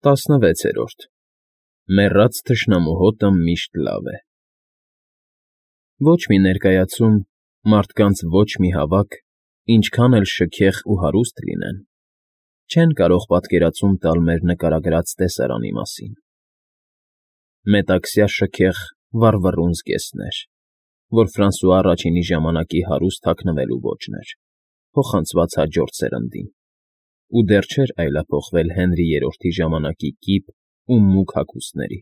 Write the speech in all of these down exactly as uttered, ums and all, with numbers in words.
Տասնվեցերորդ Մեռած թշնամու հոտը միշտ լավ է։ Ոչ մի ներկայացում, մարդկանց ոչ մի հավաք, ինչքան էլ շքեղ ու հարուստ լինեն, չեն կարող պատկերացում տալ մեր նկարագրած տեսարանի մասին. մետաքսյա շքեղ վառվռուն զգեստներ, որ Ֆրանսուଆ առաջինի ժամանակի հարուստ հագնվելու ոճն էր, փոխանցված հաջորդ սերնդին, ու դեռ չէր այլափոխվել Հենրի Երրորդի ժամանակի կիպ ու մուգ հագուստների,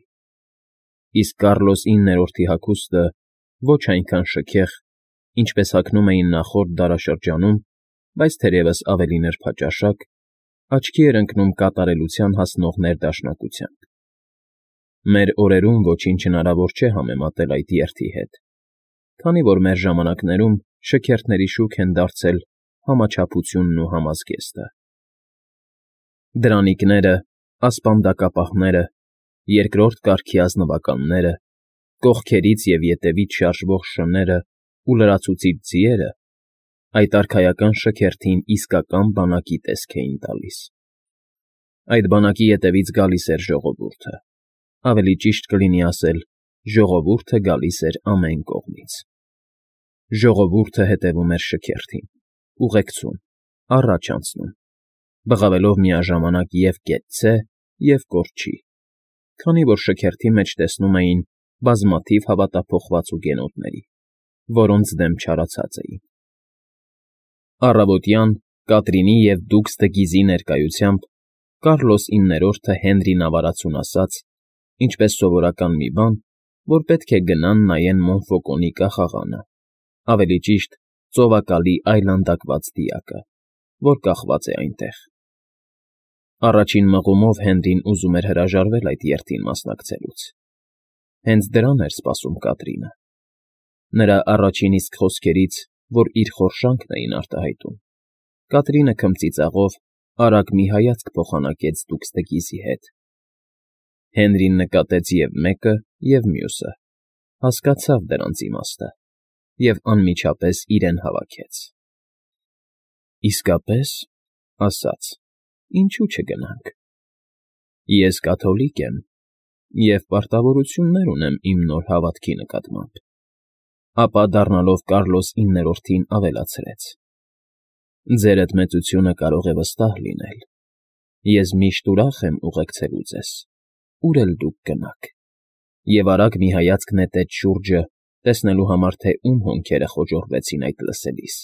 իսկ Կառլոս իններորդի հագուստը ոչ այնքան շքեղ, ինչպես հագնում էին նախորդ դարաշրջանում, բայց թերևս ավելի նրբաճաշակ, աչքի էր ընկնում կատարելության հասնող ներդաշնակությամբ։ Մեր օրերում ոչինչ հնարավոր չէ համեմատել այդ երթի հետ, քանի որ մեր ժամանակներում շքերթների շուք են դարձել համաչափությունն ու համազգեստը։ Դրանիկները, ասպանդակապահները, երկրորդ կարգի ազնվականները, կողքերից և ետևից շարժվող շները ու լրացուցիչ ձիերը այդ արքայական շքերթին իսկական բանակի տեսք էին տալիս։ Այդ բանակի ետևից գալիս էր ժողովուրդը, ավելի ճիշտ կլինի ասել, ժողովուրդը գալիս էր ամեն կողմից։ Ժողովուրդը հետևում էր շքերթին, ուղեկցում, առաջ անցնում, բղավելով միաժամանակ և կեցցե, և կորչի, քանի որ շքերթի մեջ տեսնում էին բազմաթիվ հավատափոխված ուգենոտների, որոնց դեմ չարացած էին։ Առավոտյան Կատրինի և Դուքս դը Գիզի ներկայությամբ Կառլոս իններորդը Հենրին ավարացուն ասաց, ինչպես սովորական մի բան, որ պետք է գնան նայեն Մոնֆոկոնի կախաղանը, ավելի ճիշտ ծովակալի այլանդակված դիակը, որ կախված է այնտեղ։ Առաջին մղումով Հենրին ուզում էր հրաժարվել այդ երթին մասնակցելուց։ Հենց դրան էր սպասում Կատրինը։ Նրա առաջին իսկ խոսքերից, որ իր խորշանքն էին արտահայտում, Կատրինը քմծիծաղով արագ մի հայացք փոխանակեց Դուքս դը Գիզի հետ։ Հենրին նկատեց և մեկը, և մյուսը, հասկացավ դրանց իմաստը և անմիջապես իրեն հավաքեց։ Իսկապես, ասաց, ինչու չգնանք։ Ես կաթոլիկ եմ և պարտավորություններ ունեմ իմ նոր հավատքի նկատմամբ, ապա դառնալով Կառլոս իններորդին ավելացրեց. ձերդ մեծությունը կարող է վստահ լինել, ես միշտ ուրախ եմ ուղեկցելու ձեզ, ուր էլ դուք գնաք, և արագ մի հայացք նետեց շուրջը, տեսնելու համար, թե ում հոնքերը խոժոռվեցին այդ լսելիս։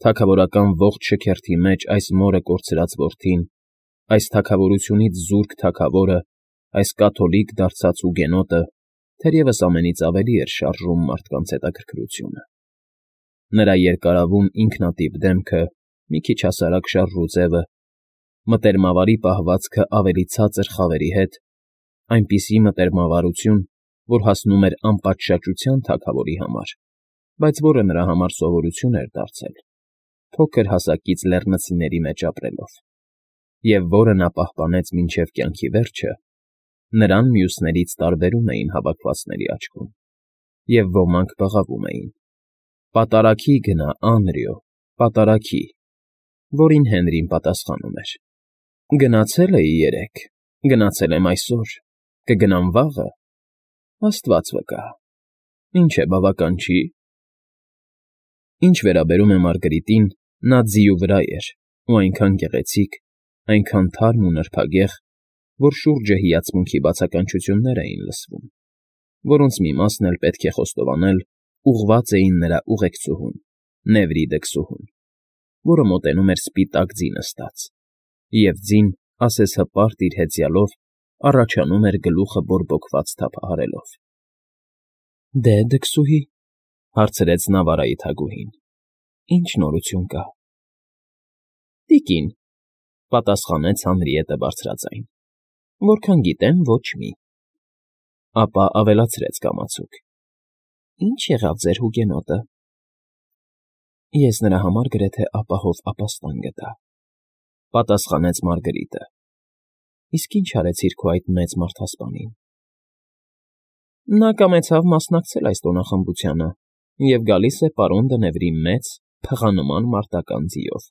Թագավորական ողջ շքերթի մեջ այս մորը կորցրած որդին, այս թագավորությունից զուրկ թագավորը, այս կաթոլիկ դարձած ուգենոտը թերևս ամենից ավելի էր շարժում մարդկանց հետաքրքրությունը։ Նրա երկարավուն ինքնատիպ դեմքը, մի քիչ հասարակ շարժուձևը, մտերմավարի պահվածքը ավելի ցածր խավերի հետ, այնպիսի մտերմավարություն, որ հասնում էր անպատշաճության թագավորի համար, բայց որը նրա համար սովորություն էր դարձել, փոքր հասակից լեռնցիների մեջ ապրելով, և որը նա պահպանեց մինչև կյանքի վերջը, նրան մյուսներից տարբերում էին հավաքվածների աչքում, և ոմանք բղավում էին. «Պատարագի գնա, Անրիո, պատարագի», որին Հենրին պատասխանում էր. «Գնացել էի երեկ, գնացել եմ այսօր, կգնամ վաղը, աստված վկա, ինչ է, բավական չի»։ Ինչ վերաբերում է Մարգրիտին, նա ձիու վրա էր ու այնքան գեղեցիկ, այնքան թարմ ու նրբագեղ, որ շուրջը հիացմունքի բացականչություններ էին լսվում, որոնց մի մասն էլ, պետք է խոստովանել, ուղղված էին նրա ուղեկցուհուն՝ Նևրիդը քսուհուն, որը մոտենում էր սպիտակ ձի նստած, և ձին, ասես հպարտ իր հեծյալով, առաջանում էր գլուխը բորբոքված թափահարելով։ ֊ Դե, դքսուհի,֊ հարցրեց նա Վարայի թագուհին,֊ ի՞նչ նորություն կա։ ֊ Տիկին,֊ պատասխանեց Հանրիետը բարձրաձայն,֊ որքան գիտեմ, ոչ մի։ Ապա ավելացրեց կամացուկ. «Ի՞նչ եղավ ձեր հուգենոտը»։ ֊ Ես նրա համար գրեթե ապահով ապաստան գտա,֊ պատասխանեց Մարգրիտը։ ֊ Իսկ ի՞նչ արեցիր քո այդ մեծ մարդասպանին։ ֊ Նա կամեցավ մասնակցել այս տոնախմբությանը և գալիս է պարոն Դնևրի մեծ, փղանման մարտական ձիով։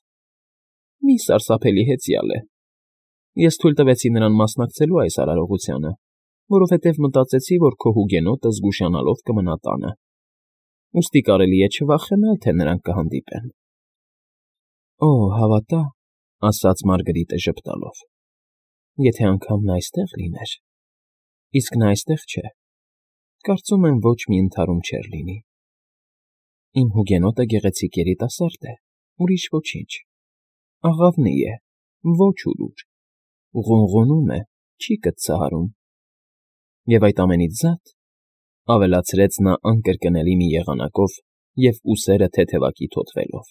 Մի սարսափելի հեծյալ է։ Ես թույլ տվեցի նրան մասնակցելու այս արարողությանը, որովհետև մտածեցի, որ քո հուգենոտը զգուշանալով կմնա տանը, ուստի կարելի է չվախենալ, թե նրանք կհանդիպեն։ ֊ Օ, հավատա,֊ ասաց Մարգրիտը ժպտալով,֊ եթե անգամ նա այստեղ լիներ… Իսկ նա այստեղ չէ, կարծում եմ ոչ մի ընդհարում չէր լինի… Իմ հուգենոտը գեղեցիկ երիտասարդ է, ուրիշ ոչինչ… Աղավնի է, ոչ ուրուր… Ղունղունում է, չի կծծահարում… Եվ այդ ամենից զատ,֊ ավելացրեց նա անկրկնելի մի եղանակով և ուսերը թեթևակի թոթվելով,֊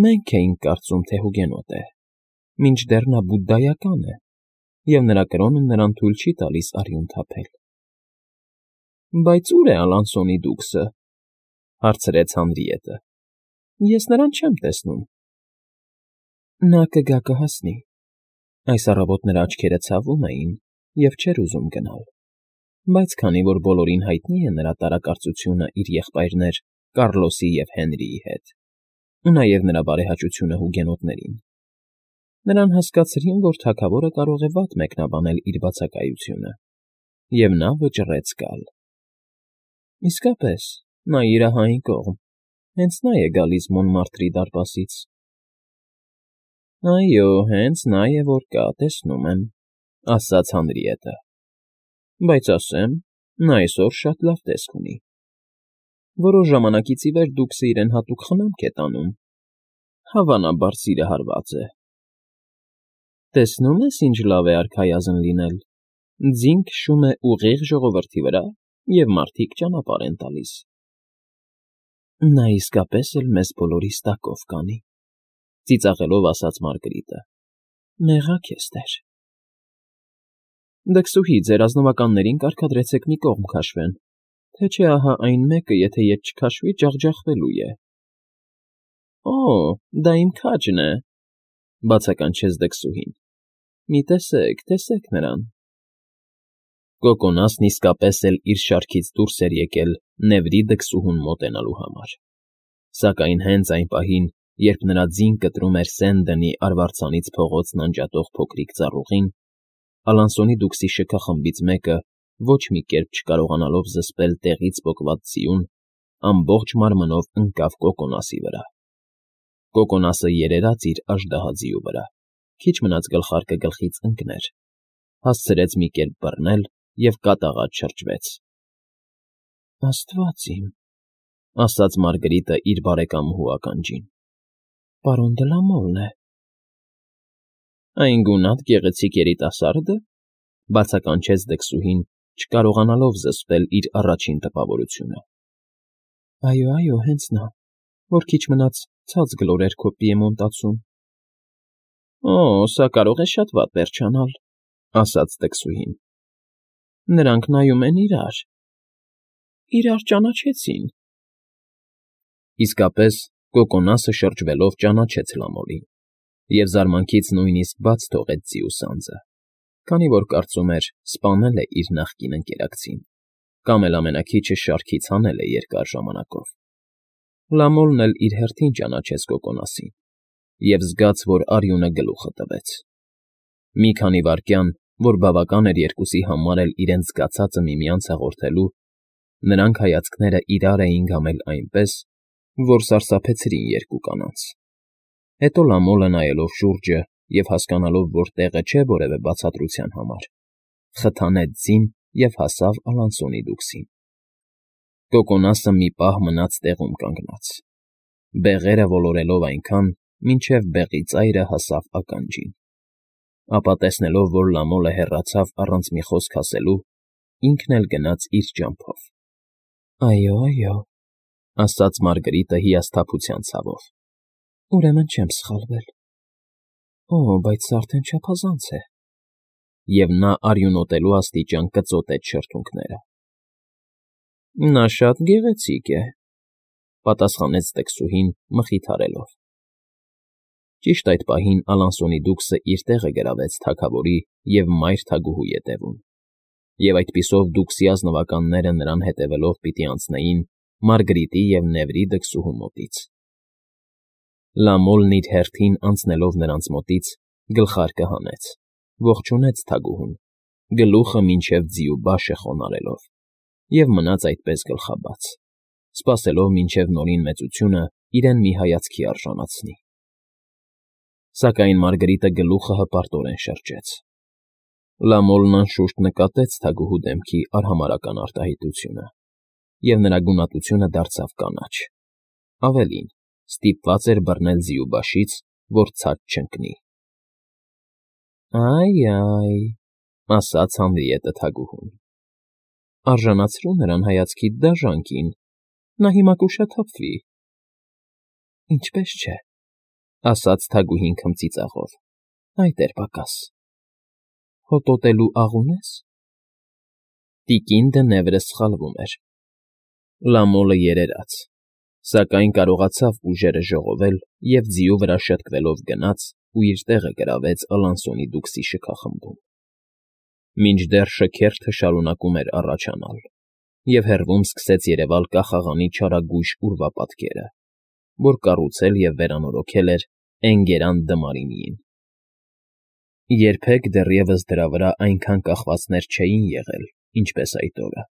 մենք էինք կարծում, թե հուգենոտ է, մինչդեռ նա բուդդայական է, և նրա կրոնը նրան թույլ չի տալիս արյուն թափել։ ֊ Բայց ո՞ւր է Ալանսոնի դուքսը,֊ հարցրեց Հանրիետը։ Ես նրան չեմ տեսնում։ ֊ Նա կգա կհասնի… Այս առավոտ նրա աչքերը ցավում էին և չէր ուզում գնալ, բայց քանի որ բոլորին հայտնի է նրա տարակարծությունը իր եղբայրներ Կառլոսի և Հենրիի հետ, ու նաև նրա բարեհաճությունը հուգենոտներին, նրան հասկացրին, որ թագավորը կարող է վատ մեկնաբանել իր բացակայությունը, և նա վճռեց գալ։ ֊ Իսկապես, նա իրահային կողմ, հենց նա է գալիս Մոնմարտրի դարպասից։ ֊ Այո, հենց նա է որ կա, տեսնում եմ,֊ ասաց Հանրիետը,֊ բայց ասեմ, նա այսօր շատ լավ տեսք ունի… Որոշ ժամանակից ի վեր դուքսը իրեն հատուկ խնամք է տանում, հավանաբար սիրահարված է… Տեսնում ես, ինչ լավ է արքայազն լինել… Ձին քշում է ուղիղ ժողովրդի վրա, և մարդիկ ճանապարհ են տալիս… Նա իսկապես էլ մեզ բոլորիս տակով կանի,֊ ծիծաղելով ասաց Մարգրիտը,֊ մեղա քեզ տեր… Դքսուհի, ձեր ազնվականներին կարգադրեցեք մի կողմ քաշվեն, թե չէ ահա այն մեկը, եթե ետ չքաշվի, ջախջախվելու է։ ֊ Օ, դա իմ քաջն է,֊ բացականչեց դքսուհին,֊ մի տեսեք, տեսեք նրան… Կոկոնասն իսկապես էլ իր շարքից դուրս էր եկել նեվրի դքսուհուն մոտենալու համար, սակայն հենց այն պահին, երբ նրա ձին կտրում էր Սենդոնի արվարձանից փողոցն անջատող փոքրիկ ծառուղին, Ալանսոնի դուքսի շքախմբից մեկը, ոչ մի կերպ չկարողանալով զսպել տեղից պոկված ձիուն, ամբողջ մարմնով ընկավ Կոկոնասի վրա… Կոկոնասը երերաց իր աժդահաձիու վրա, քիչ մնաց գլխարկը գլխից ընկներ, հասցրեց մի կերպ բռնել և կատաղած շրջվեց։ ֊ Աստված իմ,֊ ասաց Մարգրիտը իր բարեկամուհու ականջին,֊ պարոն Դլամոլն է… Այն գունատ գեղեցիկ երիտասա՞րդը,֊ բացականչեց դքսուհին, չկարողանալով զսպել իր առաջին տպավորությունը։ ֊ Այո, այո, հենց նա, որ քիչ մնաց ցած գլորեր քո պիեմոնտացուն։ ֊ Օ, սա կարող է շատ վատ վերջանալ,֊ ասաց դքսուհին։ ֊ Նրանք նայում են իրար… իրար ճանաչեցին… Իսկապես, Կոկոնասը շրջվելով ճանաչեց Լամոլին և զարմանքից նույնիսկ բաց թողեց ձիու սանձը, քանի որ կարծում էր սպանել է իր նախկին ընկերակցին կամ էլ ամենաքիչը շարքից հանել է երկար ժամանակով։ Լամոլն էլ իր հերթին ճանաչեց Կոկոնասին և զգաց, որ արյունը գլուխը տվեց։ Մի քանի վայրկյան, որ բավական էր երկուսի համար էլ իրենց զգացածը միմյանց հաղորդելու, նրանք հայացքները իրար էին գամել այնպես, որ սարսափեցրին երկու կանանց։ Հետո Լամոլը, նայելով շուրջը և հասկանալով, որ տեղը չէ որևէ բացատրության համար, խթանեց ձին և հասավ Ալանսոնի դուքսին։ Կոկոնասը մի պահ մնաց տեղում կանգնած, բեղերը ոլորելով այնքան, մինչև բեղի ծայրը հասավ ականջին, ապա տեսնելով, որ Լամոլը հեռացավ առանց մի խոսք ասելու, ինքն էլ գնաց իր ճամփով։ ֊ Այո, այո,֊ ասաց Մարգրիտը հիասթափության ցավով,֊ ուրեմն չեմ սխալվել… Օ, բայց սա արդեն չափազանց է… Եվ նա արյունոտելու աստիճան կծոտեց շրթունքները։ ֊ Նա շատ գեղեցիկ է,֊ պատասխանեց դքսուհին մխիթարելով։ Ճիշտ այդ պահին Ալանսոնի դուքսը իր տեղը գրավեց թագավորի և մայր թագուհու ետևում, և այդպիսով դուքսի ազնվականները նրան հետևելով պիտի անցնեին Մարգրիտի և Նեվրի դքսուհու մոտից։ Լամոլն իր հերթին անցնելով նրանց մոտից գլխարկը հանեց, ողջունեց թագուհուն, գլուխը մինչև ձիու բաշը խոնարհելով, և մնաց այդպես գլխաբաց, սպասելով մինչև Նորին մեծությունը իրեն մի հայացքի արժանացնի։ Սակայն Մարգրիտը գլուխը հպարտորեն շրջեց։ Լամոլն անշուշտ նկատեց թագուհու դեմքի արհամարհական արտահայտությունը, և նրա գունատությունը դարձավ կանաչ, ավելին, ստիպված էր բռնել ձիու բաշից, որ ցած չընկնի։ «Այ֊այ», ասաց Հանրիետը թագուհուն, արժանացրու նրան հայացքիդ դաժանքին, նա հիմա կուշաթափվի։ «Ինչպես չէ», ասաց թագուհին քմծիծաղով, «այդ էր պակաս։ Հոտոտելու աղ ունե՞ս»։ Տիկին Դնևրը սխալվում էր։ Լամոլը երերաց, սակայն կարողացավ ուժերը ժողովել և ձիու վրա շտկվելով գնաց ու իր տեղը գրավեց Ալանսոնի դուքսի շքախմբում։ Մինչդեռ շքերթը շարունակում էր առաջանալ, և հեռվում սկսեց երևալ կախաղանի չարագույժ ուրվապատկերը, որ կառուցել և վերանորոգել էր Էնգերան Դմարինիին։ Երբեք դեռևս դրա վրա այնքան կախվածներ չէին եղել, ինչպես այդ օրը։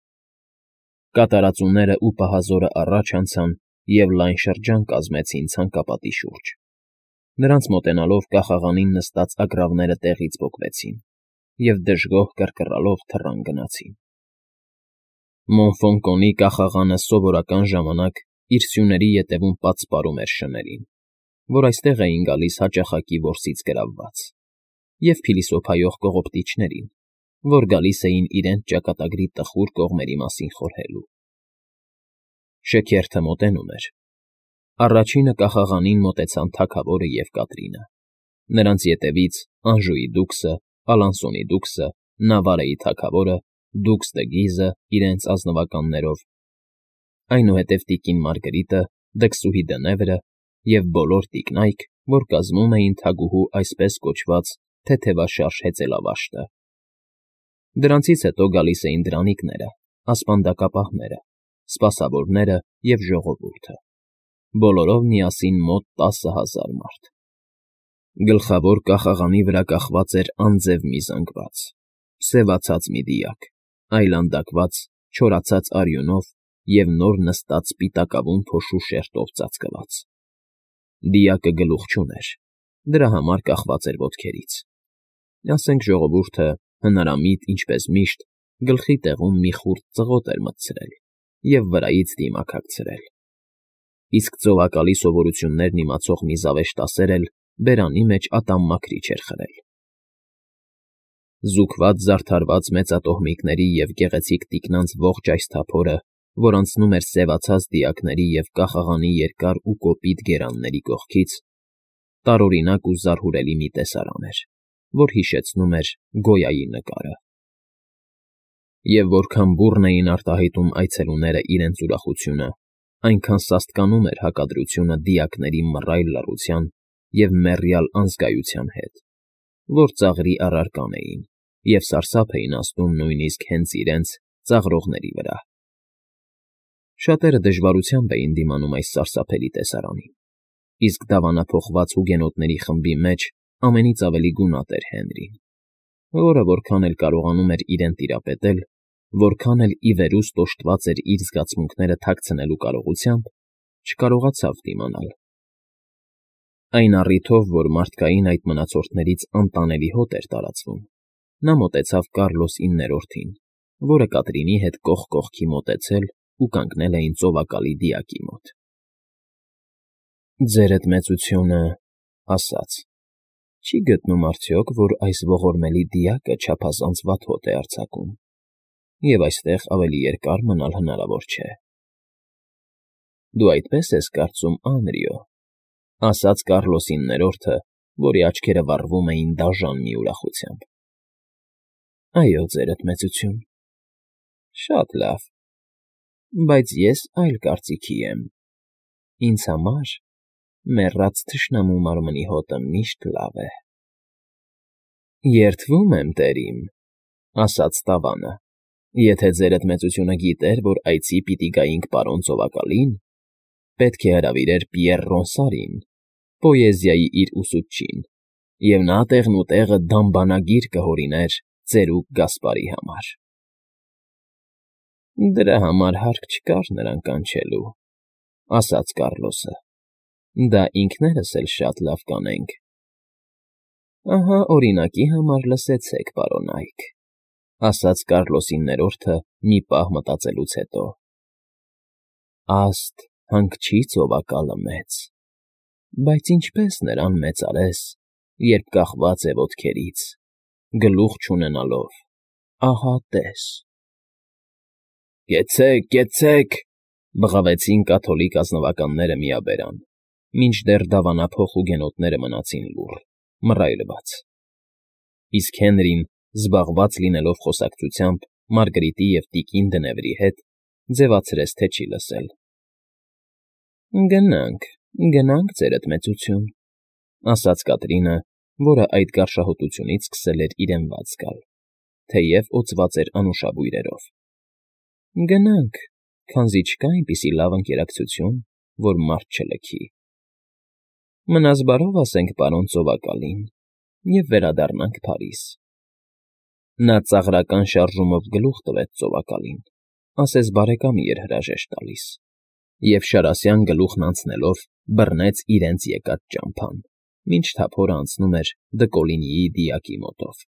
Կատարածուներն ու պահազորը առաջ անցան և լայն շրջան կազմեցին ցանկապատի շուրջ։ Նրանց մոտենալով կախաղանին նստած ագռավները տեղից պոկվեցին և դժգոհ կռկռալով թռան գնացին։ Մոնֆոնկոնի կախաղանը սովորական ժամանակ իր սյուների ետևում պատսպարում էր շներին, որ այստեղ էին գալիս հաճախակի որսից գրավված, և փիլիսոփայող կողոպտիչներին, որ գալիս էին իրենց ճակատագրի տխուր կողմերի մասին խորհելու։ Շքերթը մոտենում էր։ Առաջինը կախաղանին մոտեցան թագավորը և Կատրինը, նրանց ետևից Անժուի դուքսը, Ալանսոնի դուքսը, Նավարեի թագավորը, դուքս դը Գիզը իրենց ազնվականներով, այնուհետև տիկին Մարգրիտը, դքսուհի Դնևրը և բոլոր տիկնայք, որ կազմում էին թագուհու այսպես կոչված թեթևաշարժ հեծելավաշտը։ Դրանցից հետո գալիս էին դրանիկները, ասպանդակապահները, սպասավորները և ժողովուրդը, բոլորով միասին մոտ տասը հազար մարդ։ Գլխավոր կախաղանի վրա կախված էր անձև մի զանգված, սևացած մի դիակ, այլանդակված, չորացած արյունով և նոր նստած սպիտակավուն փոշու շերտով ծածկված։ Դիակը գլուխ չուներ, դրա համար կախված էր ոտքերից։ Ասենք ժողովուրդը, հնարամիտ ինչպես միշտ, գլխի տեղում մի խուրձ ծղոտ էր մտցրել և վրայից դիմակ հագցրել, իսկ ծովակալի սովորություններն իմացող մի զավեշտասեր էլ բերանի մեջ ատամ մաքրիչ էր խրել։ Զուգված զարդարված մեծատոհմիկների և գեղեցիկ տիկնանց ողջ այս թափորը, որ անցնում էր սևացած դիակների և կախաղանի երկար ու կոպիտ գերանների կողքից, տարօրինակ ու զարհուրելի մի տեսարան էր, որ հիշեցնում էր Գոյայի նկարը։ Եվ որքան բուռն էին արտահայտում այցելուները իրենց ուրախությունը, այնքան սաստկանում էր հակադրությունը դիակների մռայլ լռության և մեռյալ անզգայության հետ, որ ծաղրի առարկան էին և սարսափ էին ազդում նույնիսկ հենց իրենց ծաղրողների վրա։ Շատերը դժվարությամբ էին դիմանում այս սարսափելի տեսարանին, իսկ դավանափոխված հուգենոտների խմբի մեջ ամենից ավելի գունատ էր Հենրին, որը որքան էլ կարողանում էր իրեն տիրապետել, որքան էլ ի վերուստ օժտված էր իր զգացմունքները թաքցնելու կարողությամբ, չկարողացավ դիմանալ։ Այն առիթով, որ մարդկային այդ մնացորդներից անտանելի հոտ էր տարածվում, նա մոտեցավ Կառլոս իններորդին, որը Կատրինի հետ կողք կողքի մոտեցել ու կանգնել էին ծովակալի դիակի մոտ։ «Ձերդ մեծությունը,֊ ասաց,֊ չի գտնում արդյոք, որ այս ողորմելի դիակը չափազանց վատ հոտ է արձակում, և այստեղ ավելի երկար մնալ հնարավոր չէ»։ «Դու այդպես ես կարծում, Անրիո,֊ ասաց Կառլոս իններորդը, որի աչքերը վառվում էին դաժան մի ուրախությամբ։ «Այո, ձերդ մեծություն»։ «Շատ լավ, բայց ես այլ կարծիքի եմ. ինձ համար մեռած թշնամու մարմնի հոտը միշտ լավ է»։ «Երդվում եմ, տերիմ,֊ ասաց Տավանը,֊ եթե ձերդ մեծությունը գիտեր, որ այցի պիտի գայինք պարոն ծովակալին, պետք է հրավիրեր Պիեռ Ռոնսարին, պոեզիայի իր ուսուցչին, և նա տեղն ու տեղը դամբանագիր կհորիներ ծերուկ Գասպարի համար։ ֊ Դրա համար հարկ չկար նրան կանչելու,֊ ասաց Կառլոսը։֊ Դա ինքներս էլ շատ լավ կանենք։ ֊ Ահա, օրինակի համար լսեցեք, պարոնա՛յք,֊ ասաց Կառլոսի ներորդը մի պահ մտածելուց հետո։ Աստ հանգչի ծովակալը մեծ, բայց ինչպե՞ս նրան մեծարես, երբ կախված է ոտքերից, գլուխ չունենալով, ահա տես… ֊ Կեցցե՛ք, կեցցե՛ք,֊ բղավեցին կաթոլիկ ազնվականները միաբերան, մինչդեռ դավանափոխ հուգենոտները մնացին լուռ, մռայլված, իսկ Հենրին, զբաղված լինելով խոսակցությամբ Մարգարիտի և տիկին Դնևրի հետ, ձևացրեց, թե չի լսել։ ֊ Գնանք, գնանք, ձերդ մեծություն,֊ ասաց Կատրինը, որը այդ գարշահոտությունից սկսել էր իրեն վատ զգալ, թեև օծված էր անուշաբույրերով։ ֊ Գնանք, քանզի չկա այնպիսի լավ ընկերակցություն, որ մարդ չլքի։ Մնաս բարով ասենք պարոն ծովակալին և վերադառնանք Փարիզ… Նա ծաղրական շարժումով գլուխ տվեց ծովակալին, ասես բարեկամի էր հրաժեշտ տալիս, և շարասյան գլուխն անցնելով բռնեց իրենց եկած ճամփան, մինչ թափորը անցնում էր Դկոլինիի դիակի մոտով։